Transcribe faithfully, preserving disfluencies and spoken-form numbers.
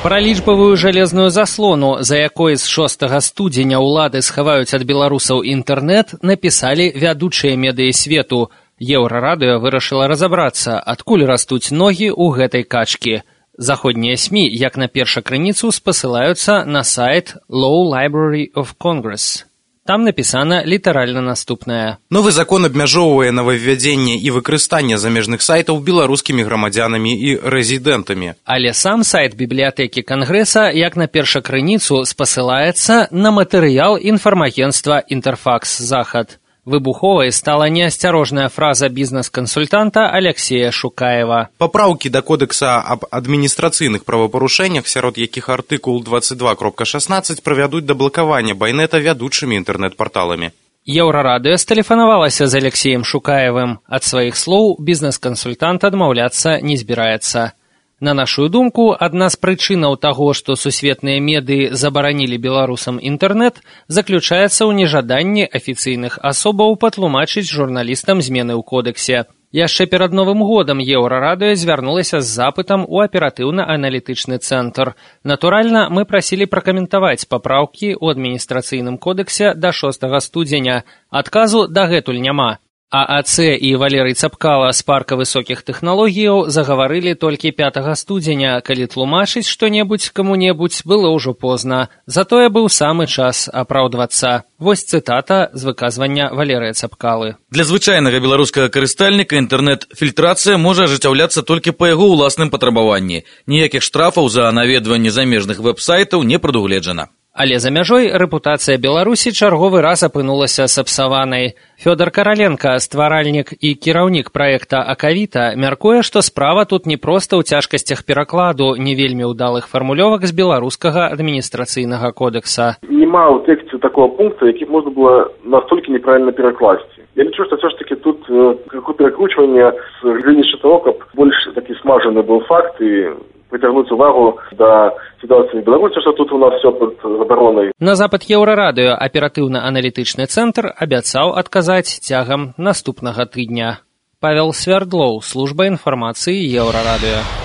Пра лічбавую жалезную заслону, за якой з шостага студзеня ўлады схаваюць ад беларусаў інтэрнэт, напісалі вядучыя медыі свету. Еўрарадыё вырашыла разабрацца, адкуль растуць ногі ў гэтай качкі. Заходнія СМІ, як на першакрыніцу, спасылаюцца на сайт Law Library of Congress. Там напісана літаральна наступнае. Новы закон абмяжоўвае новаўвядзенне і выкарыстанне замежных сайтаў беларускімі грамадзянамі і рэзідэнтамі. Але сам сайт бібліятэкі Кангрэса, як на першакрыніцу, спасылаецца на матэрыял інфармагенцтва «Інтэрфакс Захад». Выбуховай стала неасцярожная фраза бізнес-кансультанта Алексея Шукаева. Папраўкі да кодекса аб адміністрацыйных правапарушэннях, сярод якіх артыкул двадцать два кропка шаснаццаць правядуць да блакавання байнета вядучымі інтэрнэт-парталамі. Еўрарадыё стэлефанавалася з Алексеем Шукаевым. Ад сваіх слоў бізнес-кансультант адмаўляцца не збіраецца. На нашу думку, адна з прычынаў таго, што сусветныя медыі забаранілі беларусам інтэрнэт, заключаецца ў нежаданні афіцыйных асобаў патлумачыць журналістам змены ў кодексе. Яшчэ перад Новым годам Еўрарадыё звярнулася з запытам у аператыўна-аналітычны цэнтр. Натуральна, мы прасілі пракаментаваць папраўкі ў адміністрацыйным кодексе да шостага студзеня. Адказу дагэтуль няма. А АЦ і Валерый Цапкала з парка высокіх тэхналогіяў загаварылі толькі пятага студзеня, калі тлумачыць што-небудзь каму-небудзь было ўжо позна. Затое быў самы час апраўдвацца. Вось цытата з выказвання Валерыя Цапкалы. Для звычайнага беларускага карыстальніка інтэрнэт-фільтрацыя можа ажыццяўляцца толькі па яго ўласным патрабаванні. Ніякіх штрафаў за наведванне замежных вэб-сайтаў не прадугледжана. Але за мяжой рэпутацыя Беларусі чарговы раз апынулася сапсаванай. Фёдор Караленка, стваральнік і кіраўнік праекта «Акавіта», мяркуе, што справа тут не проста ў цяжкасцях перакладу не вельмі ўдалых фармулёвак з беларускага адміністрацыйнага кодекса. Нема ў тэксце такого пункта, які можна было настолькі неправільна перакласці. Я лічу, што все ж таки тут э, перакручванне з глядзяча того, каб больш такі смажаны быў факт і притягнуть увагу до ситуации в Беларуси, что тут у нас все под забаронай. На запад Еўрарадыё аператыўна-аналітычны цэнтр абяцаў адказаць цягам наступнага тыдня. Павел Свярдлоў, служба інфармацыі Еўрарадыё.